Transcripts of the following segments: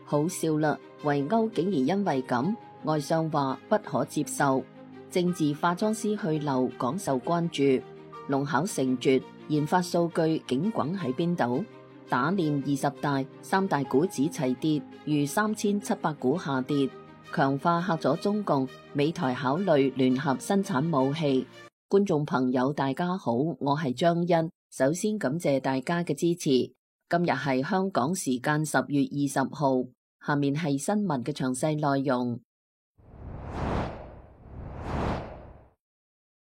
好笑啦，圍毆竟然因為咁，外相話不可接受。政治化妝師去留廣受關注。龍考成絕，研發數據警滾喺邊度？打臉20大，三大股指齊跌，逾3700股下跌。強化嚇咗中共，美台考慮聯合生產武器。觀眾朋友大家好，我係張欣，首先感謝大家嘅支持。今日係香港時間10月20號，下面係新聞嘅詳細內容。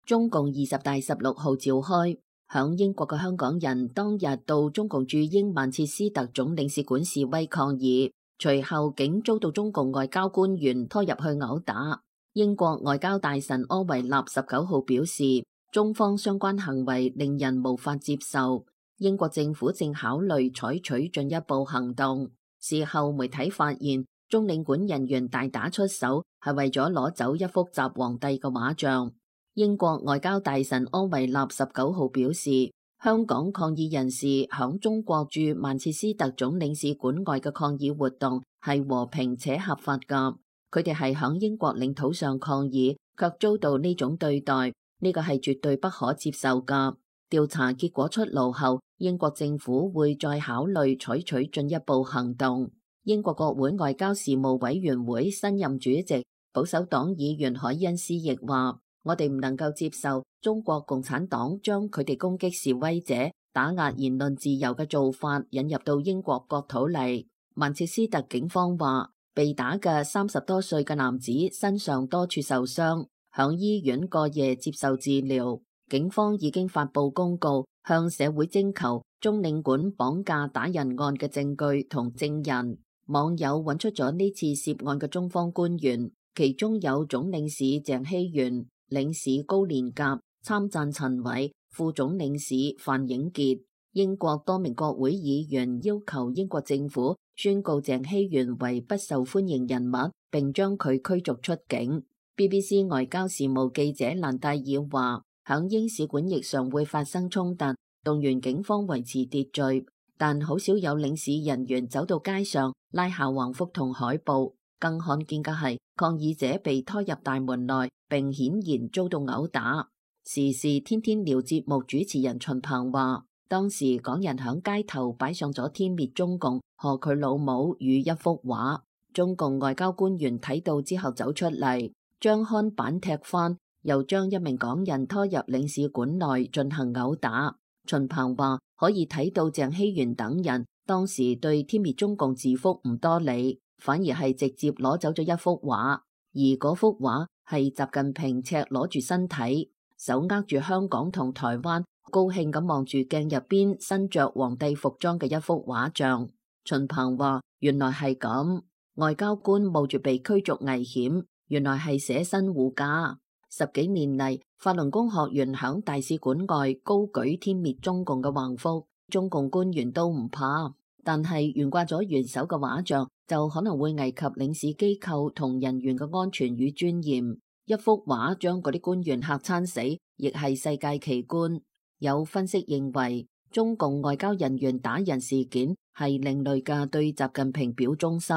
中共20大16號召開，響英國嘅香港人當日到中共駐英曼徹斯特總領事館示威抗議，隨後竟遭到中共外交官員拖入去毆打。英國外交大臣柯維納19號表示，中方相關行為令人無法接受，英國政府正考慮採取進一步行動。事後媒體發現，中領館人員大打出手，係為咗攞走一幅習皇帝嘅畫像。英國外交大臣柯維納19號表示，香港抗議人士響中國駐曼徹斯特總領事館外嘅抗議活動係和平且合法㗎，佢哋係響英國領土上抗議，卻遭到呢種對待，呢個係絕對不可接受㗎。調查結果出爐後，英國政府會再考慮採取進一步行動。英國國會外交事務委員會新任主席保守黨議員海恩斯亦話，我哋唔能夠接受中國共產黨將佢哋攻擊示威者、打壓言論自由嘅做法引入到英國國土嚟。曼徹斯特警方話，被打嘅30多歲嘅男子身上多處受傷，響醫院過夜接受治療。警方已經發布公告，向社會徵求中領館綁架打人案嘅證據同證人。網友揾出咗呢次涉案嘅中方官員，其中有總領事鄭希元、領事高連甲、參贊陳偉、副總領事范影傑。英國多名國會議員要求英國政府宣告鄭希元為不受歡迎人物，並將佢驅逐出境。BBC 外交事務記者蘭戴爾話，響英使館亦常會發生衝突，動員警方維持秩序，但好少有領事人員走到街上拉下橫幅同海報。更罕見嘅係抗議者被拖入大門內，並顯然遭到毆打。時事天天聊節目主持人秦鵬話，當時港人響街頭擺上咗天滅中共賀佢老母與一幅畫，中共外交官員睇到之後走出嚟，將看板踢翻，又將一名港人拖入領事館內進行毆打。秦鵬話，可以睇到鄭希元等人當時對天滅中共字幅唔多理，反而係直接攞走咗一幅畫，而嗰幅畫係習近平赤裸住身體，手握住香港同台灣，高興咁望住鏡入邊身着皇帝服裝嘅一幅畫像。秦鵬話，原來係咁，外交官冒住被驅逐危險，原來係捨身護駕。10幾年嚟，法輪功學員響大使館外高舉天滅中共嘅橫幅，中共官員都唔怕，但係懸掛咗元首嘅畫像就可能會危及領事機構同人員嘅安全與尊嚴。一幅畫將嗰啲官員嚇餐死，亦係世界奇觀。有分析認為，中共外交人員打人事件係另類嘅對習近平表忠心。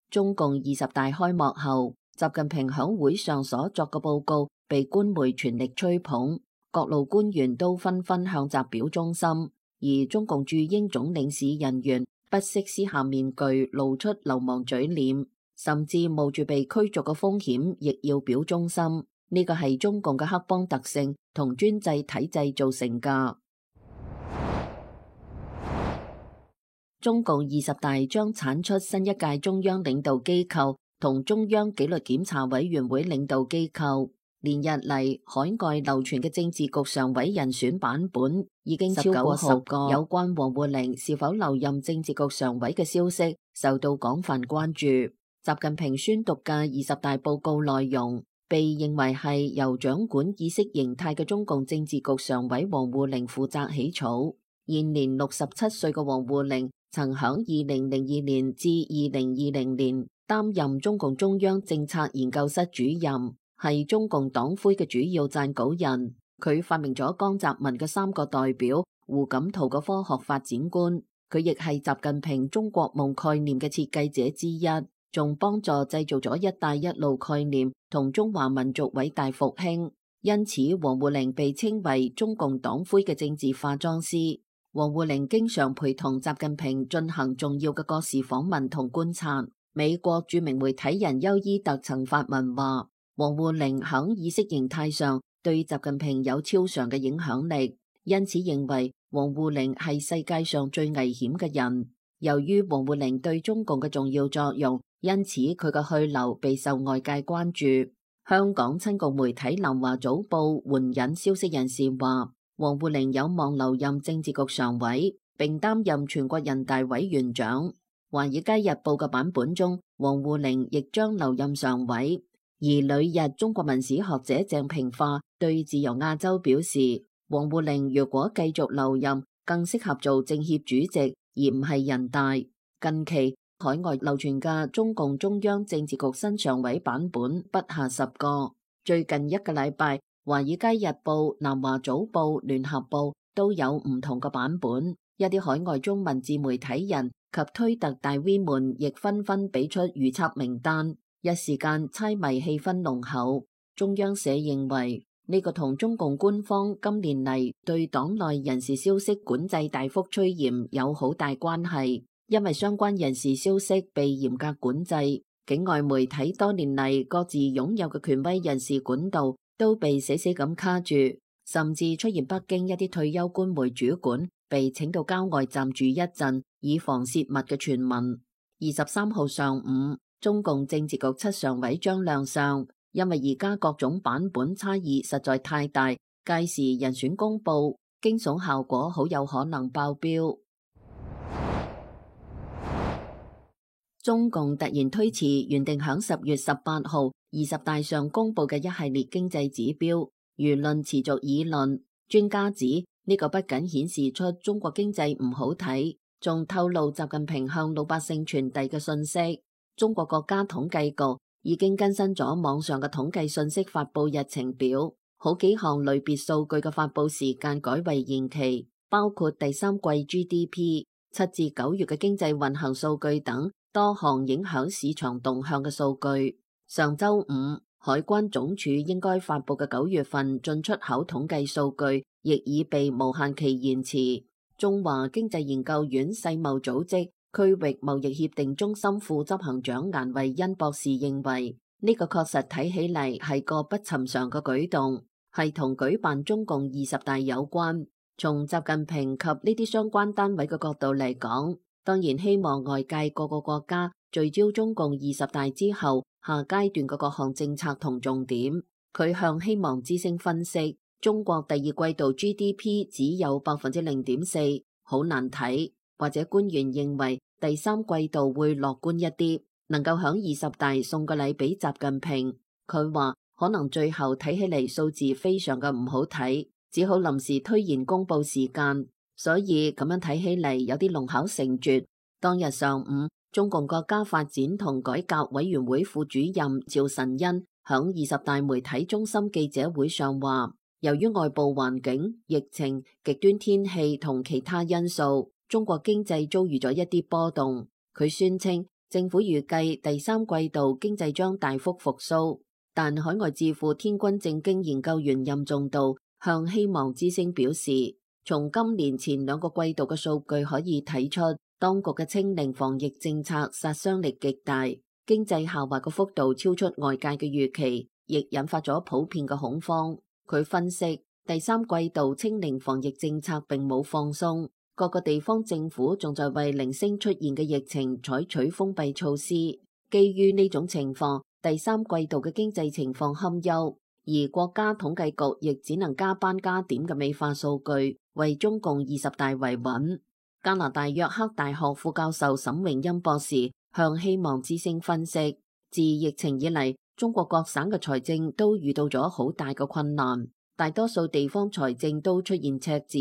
中共20大開幕後，習近平響會上所作嘅報告被官媒全力吹捧，各路官員都紛紛向習表忠心，而中共駐英總領事人員不惜撕下面具，露出流氓嘴臉，甚至冒住被驅逐嘅風險，亦要表忠心。呢個係中共嘅黑幫特性同專制體制造成㗎。中共20大將產出新一屆中央領導機構同中央紀律檢查委員會領導機構。連日嚟，海外流傳嘅政治局常委人選版本已經超過10個。有關王滬寧是否留任政治局常委嘅消息受到廣泛關注。習近平宣讀嘅20大報告內容，被認為係由掌管意識形態嘅中共政治局常委王滬寧負責起草。現年67歲嘅王滬寧曾響2002年至2020年擔任中共中央政策研究室主任，係中共黨魁嘅主要撰稿人。佢發明咗江澤民嘅3個代表、胡錦濤嘅科學發展觀。佢亦係習近平中國夢概念嘅設計者之一，仲幫助製造咗一帶一路概念同中華民族偉大復興。因此，王滬寧被稱為中共黨魁嘅政治化妝師。王滬寧經常陪同習近平進行重要嘅國事訪問同觀察。美國著名媒體人休伊特曾發文話，王滬寧響意識形態上對習近平有超常嘅影響力，因此認為王滬寧係世界上最危險嘅人。由於王滬寧對中共嘅重要作用，因此佢嘅去留備受外界關注。香港親共媒體南華早報援引消息人士話，王滬寧有望留任政治局常委，並擔任全國人大委員長。華爾街日報嘅版本中，王滬寧亦將留任常委。而旅日中國文史學者鄭平化對自由亞洲表示，王滬寧如果繼續留任，更適合做政協主席，而唔係人大。近期海外流傳嘅中共中央政治局新常委版本不下10個。最近一個禮拜，華爾街日報、南華早報、聯合報都有唔同嘅版本。一啲海外中文自媒體人及推特大 V 們亦紛紛俾出預測名單。一時間猜謎氣氛濃厚。中央社認為呢個同中共官方今年嚟對黨內人事消息管制大幅趨嚴有好大關係，因為相關人事消息被嚴格管制，境外媒體多年嚟各自擁有嘅權威人事管道都被死死咁卡住，甚至出現北京一啲退休官媒主管被請到郊外暫住一陣，以防泄密嘅傳聞。23號上午，中共政治局7常委將亮相，因為而家各種版本差異實在太大，屆時人選公布，驚悚效果好有可能爆標。中共突然推遲原定響10月18號20大上公布嘅一系列經濟指標，輿論持續議論。專家指呢個不僅顯示出中國經濟唔好睇，仲透露習近平向老百姓傳遞嘅信息。中國國家統計局已經更新咗網上嘅統計信息發佈日程表，好幾項類別數據嘅發佈時間改為延期，包括第三季 GDP、7至9月嘅經濟運行數據等多項影響市場動向嘅數據。上週五，海關總署應該發佈嘅9月份進出口統計數據亦已被無限期延遲。中華經濟研究院世貿組織區域貿易協定中心副執行長顏惠恩博士認為，呢個確實睇起嚟係個不尋常嘅舉動，係同舉辦中共20大有關。從習近平及呢啲相關單位嘅角度嚟講，當然希望外界各個國家聚焦中共20大之後下階段嘅各項政策同重點。佢向希望之聲分析，中國第二季度 GDP 只有0.4%，好難睇。或者官員認為第三季度會樂觀一啲，能夠響20大送個禮俾習近平。佢話可能最後睇起嚟數字非常嘅唔好睇，只好臨時推延公佈時間，所以咁樣睇起嚟有啲弄巧成拙。當日上午，中共國家發展同改革委員會副主任趙辰昕響20大媒體中心記者會上話，由於外部環境、疫情、極端天氣同其他因素，中國經濟遭遇咗一啲波動。佢宣稱政府預計第三季度經濟將大幅復甦，但海外智庫天君正經研究員任重道向希望之聲表示，從今年前2個季度嘅數據可以睇出，當局嘅清零防疫政策殺傷力極大，經濟下滑嘅幅度超出外界嘅預期，亦引發咗普遍嘅恐慌。佢分析，第三季度清零防疫政策並冇放鬆，各個地方政府仲在為零星出現嘅疫情採取封閉措施。基於呢種情況，第三季度嘅經濟情況堪憂，而國家統計局亦只能加班加點嘅美化數據，為中共20大維穩。加拿大約克大學副教授沈榮欽博士向希望之聲分析，自疫情以嚟，中國各省嘅財政都遇到咗好大嘅困難，大多數地方財政都出現赤字。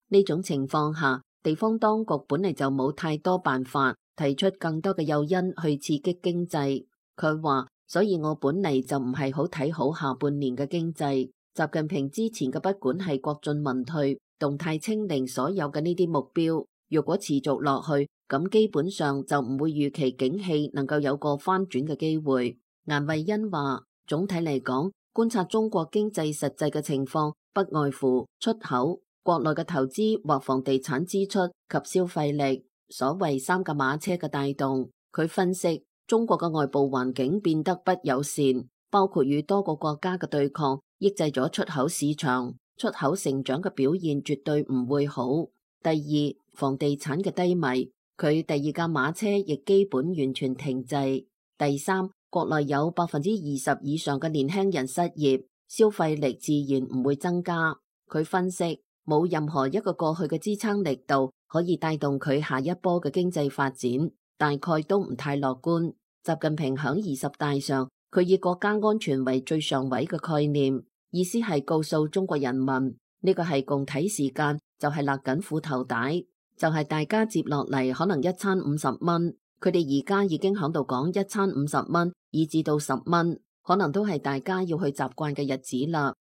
呢種情況下，地方當局本嚟就冇太多辦法提出更多嘅誘因去刺激經濟。佢話，所以我本嚟就唔係好睇好下半年嘅經濟。習近平之前嘅不管係國進民退、動態清零所有嘅呢啲目標，如果持續落去，咁基本上就唔會預期景氣能夠有個翻轉嘅機會。顏慧欣話，總體嚟講，觀察中國經濟實際嘅情況，不外乎出口、國內嘅投資或房地產支出及消費力，所謂三駕馬車嘅帶動。佢分析，中國嘅外部環境變得不友善，包括與多個國家嘅對抗，抑制咗出口市場，出口成長嘅表現絕對唔會好。第二，房地產嘅低迷，佢第二駕馬車亦基本完全停滯。第三，國內有20%以上嘅年輕人失業，消費力自然唔會增加。佢分析，冇任何一個過去嘅支撐力度可以帶動佢下一波嘅經濟發展，大概都唔太樂觀。習近平響20大上，佢以國家安全為最上位嘅概念，意思係告訴中國人民，呢個係共體時間，就係勒緊褲頭帶，就係大家接落嚟可能一餐50蚊，佢哋而家已經響度講一餐50蚊，以至到10蚊，可能都係大家要去習慣嘅日子啦。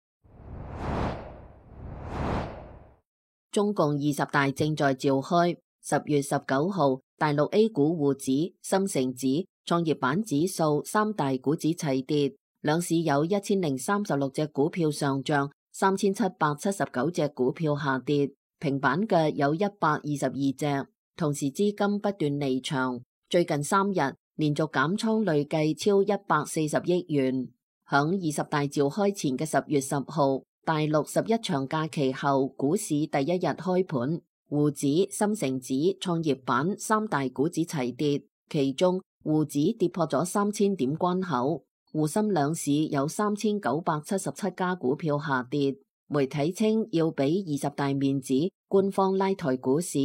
中共20大正在召開，10月19號，大陸 A 股滬指、深成指、創業板指數三大股指齊跌，兩市有1036隻股票上漲，3779隻股票下跌，平板嘅有122隻。同時資金不斷離場，最近3日連續減倉累計超140億元。響20大召開前嘅10月10號，大陸11長假期後股市第一日開盤，滬指、深成指、創業板三大股指齊跌，其中滬指跌破咗3000點關口，滬深兩市有3977家股票下跌。媒體稱要俾20大面子，官方拉抬股市。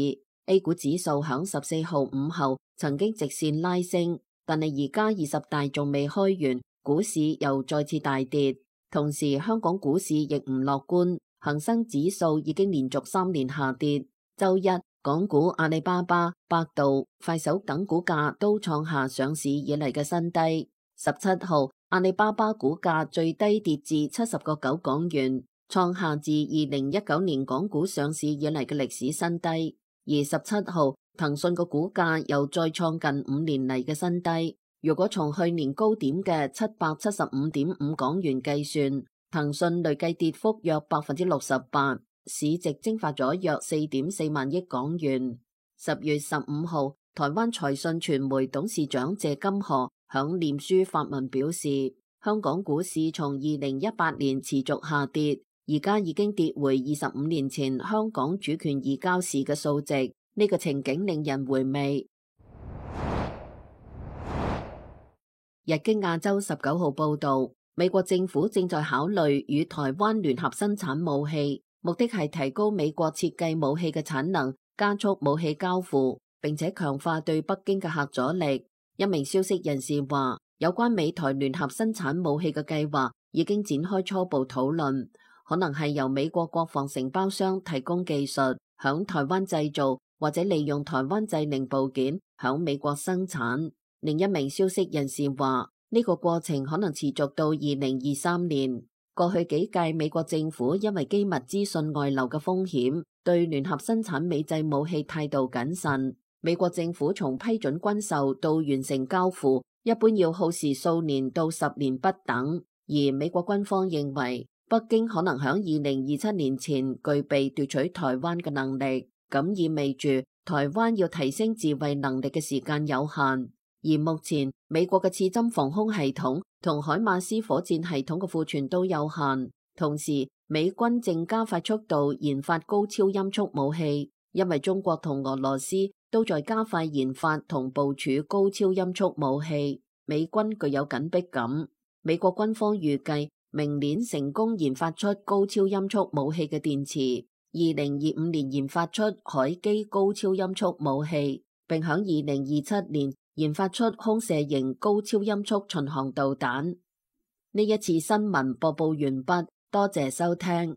A 股指數響14號午後曾經直線拉升，但係而家20大仲未開完，股市又再次大跌。同時香港股市亦唔樂觀，恒生指數已經連續3年下跌。周一港股阿里巴巴、百度、快手等股價都創下上市以嚟嘅新低。17號阿里巴巴股價最低跌至70個9港元，創下自2019年港股上市以嚟嘅歷史新低。而17號騰訊個股價又再創近5年嚟嘅新低。如果從去年高點嘅775.5港元計算，騰訊累計跌幅約68%，市值蒸發咗約4.4萬億港元。10月15號，台灣財訊傳媒董事長謝金河響臉書發文表示，香港股市從2018年持續下跌，而家已經跌回25年前香港主權移交時嘅數值，呢個情景令人回味。日經亞洲19號報道，美國政府正在考慮與台灣聯合生產武器，目的係提高美國設計武器嘅產能，加速武器交付，並且強化對北京嘅嚇阻力。一名消息人士話，有關美台聯合生產武器嘅計劃已經展開初步討論，可能係由美國國防承包商提供技術，響台灣製造，或者利用台灣製零部件響美國生產。另一名消息人士話，呢個過程可能持續到2023年。過去幾屆美國政府因為機密資訊外流嘅風險，對聯合生產美製武器態度謹慎。美國政府從批准軍售到完成交付，一般要耗時數年到10年不等。而美國軍方認為，北京可能響2027年前具備奪取台灣嘅能力，咁意味住台灣要提升自衛能力嘅時間有限。而目前美國嘅刺針防空系統同海馬斯火箭系統嘅庫存都有限，同時美軍正加快速度研發高超音速武器，因為中國同俄羅斯都在加快研發同部署高超音速武器，美軍具有緊迫感。美國軍方預計明年成功研發出高超音速武器嘅電池，2025年研發出海基高超音速武器，並響2027年研發出空射型高超音速巡航導彈。呢一次新聞播報完畢，多謝收聽。